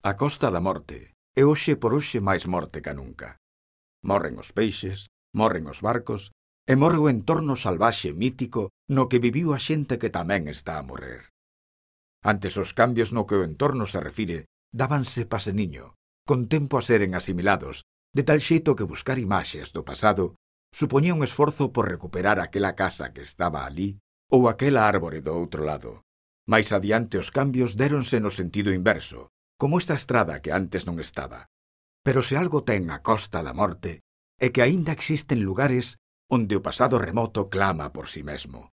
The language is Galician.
A costa da morte é hoxe por hoxe máis morte ca nunca. Morren os peixes, morren os barcos, e morre o entorno salvaxe mítico no que viviu a xente que tamén está a morrer. Antes os cambios no que o entorno se refire dábanse paseniño, con tempo a seren asimilados, de tal xeito que buscar imaxes do pasado supoñía un esforzo por recuperar aquela casa que estaba alí ou aquela árbore do outro lado. Mais adiante os cambios déronse no sentido inverso, como esta estrada que antes non estaba. Pero se algo ten a costa da morte, é que aínda existen lugares onde o pasado remoto clama por si mesmo.